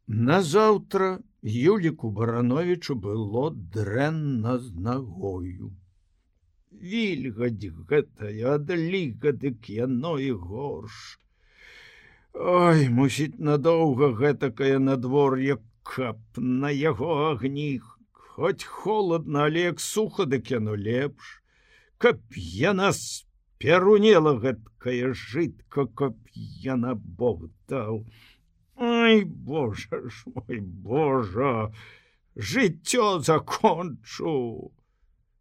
Назаўтра Юліку Барановічу было дрэнна з нагою. Вільгаць гэтая, адліга, дык яно і горш. Ой, мусіць, надоўга гэтакае надвор'е, каб на яго агні. Хоць холодна, але як суха, дык яно лепш. Каб яна сперунела гэткая жытка, каб яна Бог даў. Ой, Божа ж мой, Божа, жыццё закончу.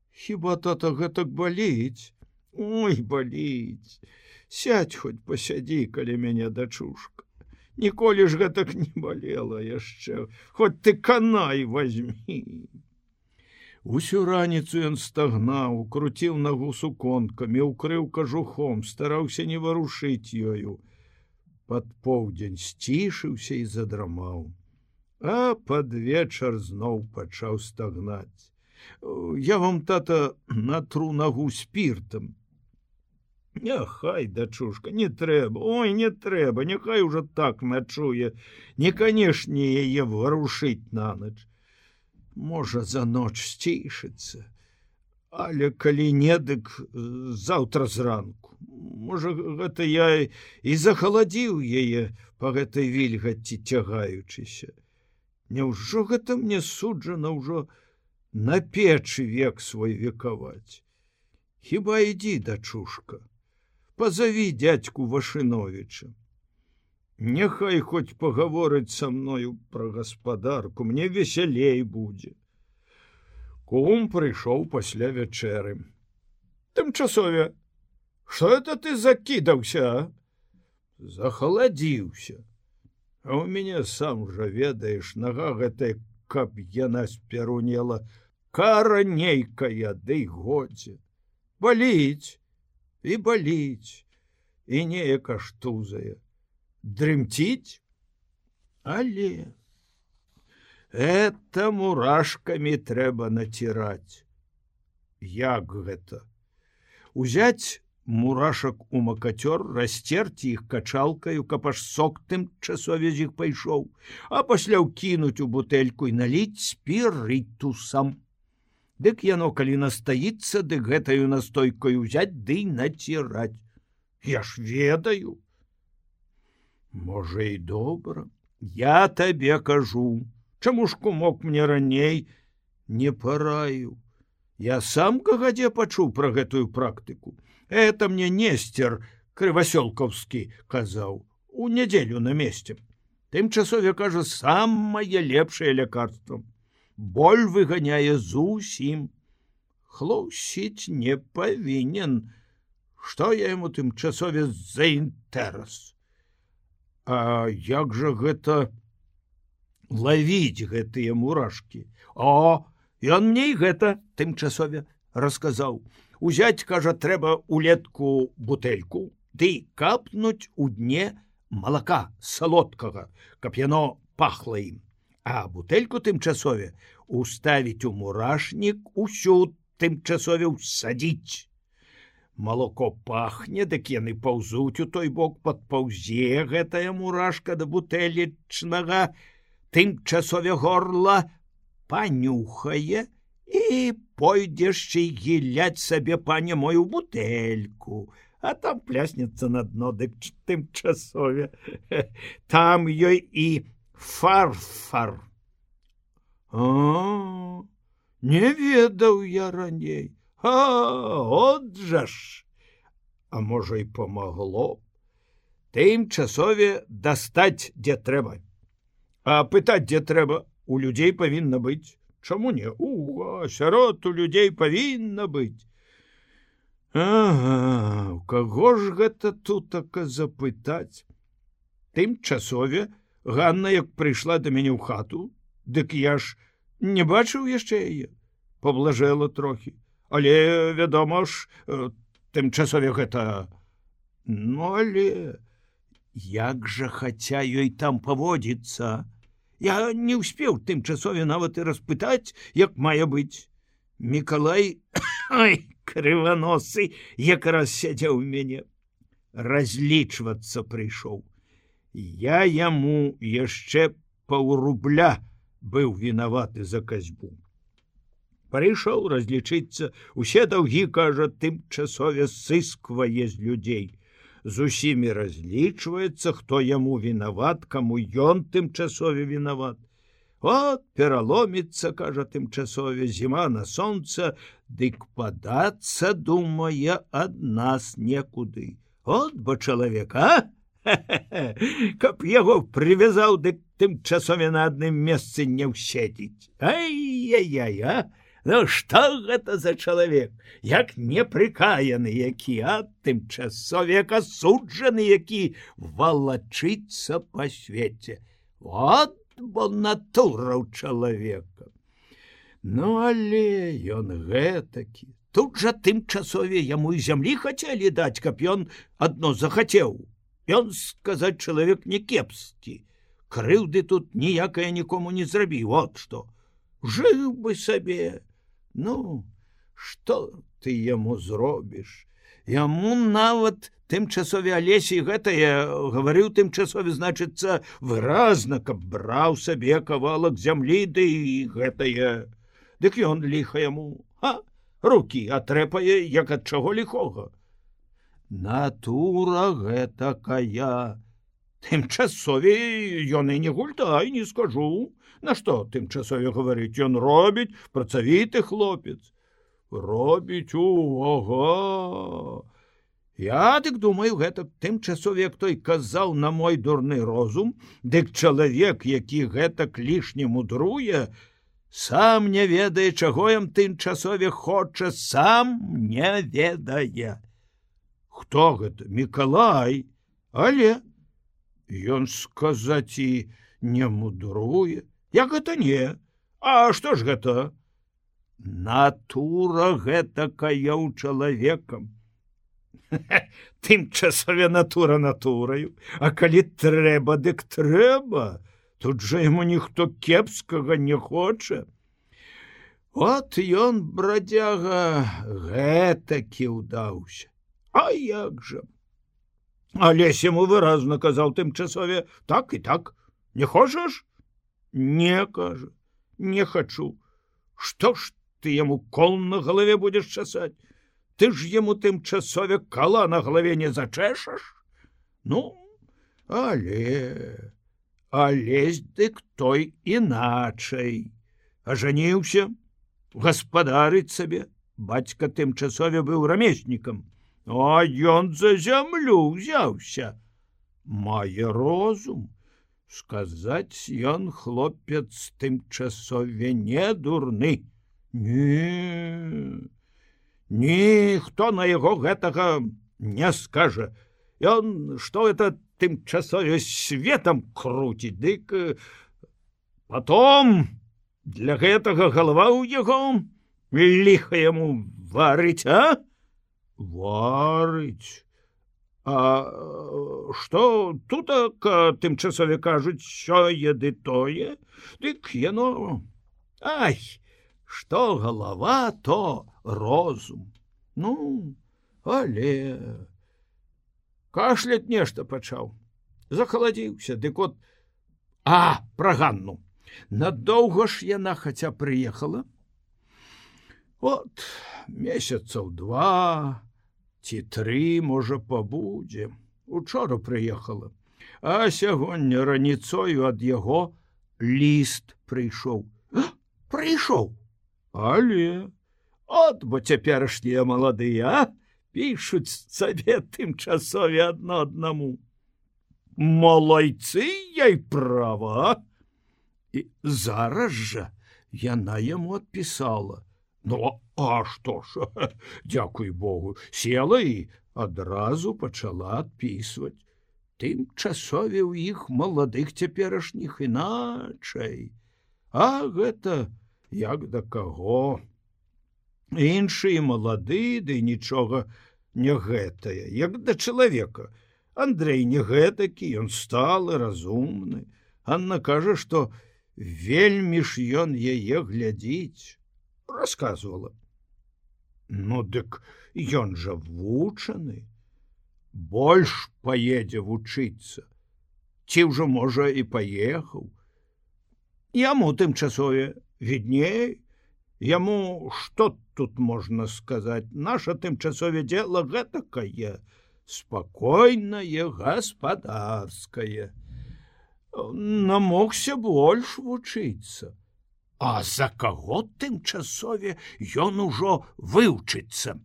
Хіба тата гэтак баліць? Ой, баліць. Сядь хоць пасядзі каля мяне, дачушка. Ніколі ж гэтак не балела яшчэ, хоць ты канай вазьмі. Усю раніцу ён стагнаў, круціў нагу суконкамі, укрыў кажухом, стараўся не варушыць ёю. Пад поўдзень сцішыўся і задрамаў. А пад вечар зноў пачаў стагнаць. Я вам, тата, натру нагу спіртам. Няхай, дачушка, не трэба, ой, не трэба, няхай ужо так начуе, не канешне яе варушыць нанач. Можа, за ноч сцішыцца, але калі не, дык заўтра зранку. Можа, гэта я і захаладзіў яе па гэтай вільгаці цягаючыся. Няўжо гэта мне суджана ўжо на печы век свой векаваць? Хіба ідзі, дачушка, пазаві дядьку Вашыновіча. Няхай хоць пагаворыць са мною пра гаспадарку, мне весялей будзе. Кум прыйшоў пасля вячэры. Тымчасове, што это ты закідаўся, а? Захаладзіўся. А ў мяне, сам жа ведаеш, нага гэтая, каб яна спярунела, кара нейкая, ды годзе. Баліць і баліць, і неяк аж тузае. Дрымціць? Але это мурашкамі трэба націраць. Як гэта? Узяць мурашак у макацёр, расцерці іх качалкаю, каб аж сок тымчасове з іх пайшоў, а пасля ўкінуць у бутэльку і наліць спірытусам. Дык яно, калі настаіцца, дык гэтаю настойкаю ўзяць ды націраць. Я ж ведаю. Можа, і добра. Я табе кажу. Чаму ж, кумок, мне раней не параіў? Я сам кагадзе пачуў пра гэтую практыку. Это мне Нестер Крывасёлкаўскі казаў у нядзелю на месте. Тымчасове, кажа, самае лепшае лякарства. Боль выганяе зусім. Хлусіць не павінен. Што я яму тымчасове за інтэрас? А як жа гэта лавіць гэтыя мурашкі? О, ён мне і гэта тымчасове расказаў. Узяць, кажа, трэба улетку бутэльку, ды капнуць у дне малака салодкага, каб яно пахла ім. А бутэльку тымчасове уставіць у мурашнік, усю тымчасове ўсадзіць. Малоко пахне, дык яны паўзуць у той бок, падпаўзе гэтая мурашка да бутэлечнага, тымчасове горла панюхае і пойдзеш і гіляць сабе, пане мой, у бутэльку, а там пляснецца на дно, дык тымчасове. Там ёй і фарфар. А, не ведаў я раней. А, от жа ж! А можа, і памагло. Тымчасове дастаць, дзе трэба. А пытаць, дзе трэба, у людзей павінна быць. Чаму не? Сярод у людзей павінна быць. Ага, у каго ж гэта тутака запытаць? Тымчасове Ганна, як прыйшла да мяне ў хату, дык я ж не бачыў яшчэ яе. Паблажэла трохі. Але, вядома ж, тымчасове гэта... Ну, але... Як жа хаця ёй там паводзіцца? Я не ўспеў тымчасове нават і распытаць, як мае быць. Мікалай, ай, крываносы, якраз сядзеў у мяне. Разлічвацца прыйшоў. Я яму яшчэ паўрубля быў вінаваты за касьбу. Прыйшоў разлічыцца, усе даўгі, кажа, тымчасове сысквае з людзей. З усімі разлічваецца, хто яму вінават, каму ён тымчасове вінават. От пераломіцца, кажа, тымчасове, зіма на сонца, дык падацца, думае, ад нас некуды. От бо чалавек, а? Каб яго прывязаў, дык тымчасове на адным месцы не ўседзіць. Ай-яй-яй, а? Ну што гэта за чалавек? Як непрыкаяны які, а тымчасове як асуджаны, які валачыцца па свеце. Вот бо натура ў чалавека. Ну, але ён гэтакі. Тут жа тымчасове яму і зямлі хацелі даць, каб ён адно захацеў. Ён, сказаць, чалавек не кепскі. Крыўды тут ніякая нікому не зрабіў, вот што. Жыў бы сабе. Ну, што ты яму зробіш? Яму нават тымчасове Алесі гэтае гаварыў тымчасове, значыцца, выразна, каб браў сабе кавалак зямлі, ды і гэтае. Дык ён ліха яму, рукі атрэпае, як ад чаго ліхога. Натура гэтакая. Тымчасове ён і не гультай, не скажу. Нашто тымчасове гаварыць, ён робіць, працавіты хлопец. Робіць, ага. Я дык думаю, гэта тымчасове, як той казаў на мой дурны розум, дык чалавек, які гэтак лішне мудруе, сам не ведае, чаго ім тымчасове хоча, сам не ведае. Хто гэта? Мікалай. Але ён, сказаць, і не мудруе. Як гэта не? А што ж гэта? Натура гэтакая ў чалавекам. Тымчасове натура натураю, а калі трэба, дык трэба. Тут жа яму ніхто кепскага не хоча. От ён, брадзяга, гэтакі ўдаўся. А як жа? Алесь яму выразна казаў тымчасове, так і так. Не хочаш? Не, кажа, не хачу. Што ж ты яму кол на галаве будзеш часаць? Ты ж яму тымчасове кала на галаве не зачэшаш? Ну, але... Алесь дык той іначай. Ажаніўся, гаспадарыць сабе. Бацька тымчасове быў рамеснікам. А ён за зямлю ўзяўся. Мае розум. Сказаць, ён хлопец тымчасове не дурны. Не, ніхто на яго гэтага не скажа. Ён, што это тымчасове светам круціць, дык потом для гэтага галава ў яго ліха яму варыць, а? Варыць. А што тут тымчасове кажуць, сёе ды тое, дык яно... Ай, што галава, то розум. Ну, але... Кашляць нешта пачаў. Захаладзіўся, дык от... Пра Ганну. Надоўга ж яна хаця прыехала. От, месяцаў 2... ці 3, можа, пабудзе. Учора прыехала. А сягоння раніцою ад яго ліст прыйшоў. Прыйшоў. Але... От, бо цяперашнія маладыя, пішуць сабе тымчасове адно аднаму. Малайцы, яй права. І зараз жа яна яму адпісала. Ну, а што ж, дзякуй Богу, села і адразу пачала адпісваць. Тымчасове ў іх маладых цяперашніх іначай. А гэта як да каго? Іншыя малады, ды нічога не гэтае, як да чалавека. Андрэй не гэтакі, ён сталы, разумны. Анна кажа, што вельмі ж ён яе глядзіць. Расказвала. Ну, дык ён жа вучаны. Больш паедзе вучыцца. Ці ўжо, можа, і паехаў. Яму тымчасове відней. Яму што тут можна сказаць? Наша тымчасове дело гэтакае, спакойнае, гаспадарскае. Намогся больш вучыцца. А за каго тымчасове ён ужо вывучыцца?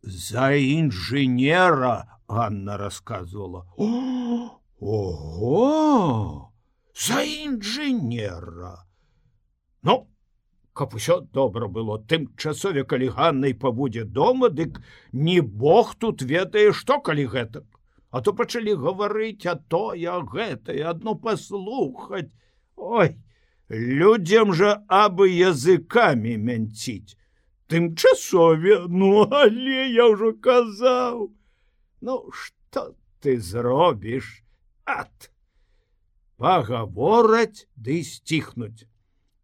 За інжынера, Ганна рассказывала. Ого! За інжынера! Ну, каб усё добра было, тымчасове, калі Ганнай пабудзе дома, дык не Бог тут ведае, што калі гэтак. А то пачалі гаварыць, а тое, а гэтае, адно паслухаць. Ой, людзям жа абы языкамі мянціць. Тымчасове, ну, але я ўжо казаў. Ну, што ты зробіш? Ат! Пагавораць ды сціхнуць.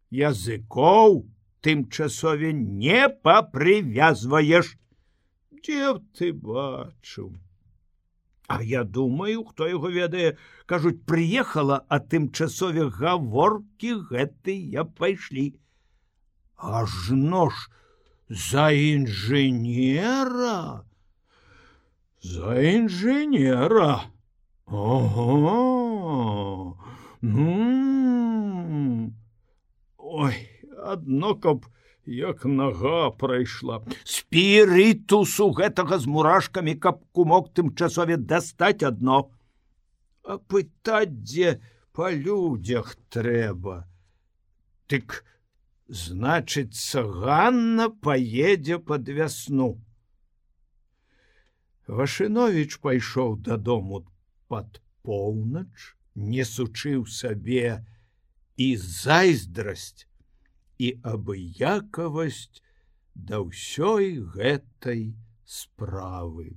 Языкоў тымчасове не папрывязваеш. Дзе ты бачыў? А я думаю, хто яго ведае, кажуць, прыехала, а тымчасове гаворкі гэтыя пайшлі. Ажно ж за інжынера? За інжынера. Ого! Ну... Ой, адно каб як нага прайшла. Спірытусу гэтага з мурашкамі, каб кумок тымчасове дастаць адно. А пытаць, дзе па людзях трэба. Дык, значыцца, Ганна паедзе пад вясну. Вашыновіч пайшоў дадому пад поўнач, несучы ў сабе і зайздрасць, і абыякавасць да ўсёй гэтай справы.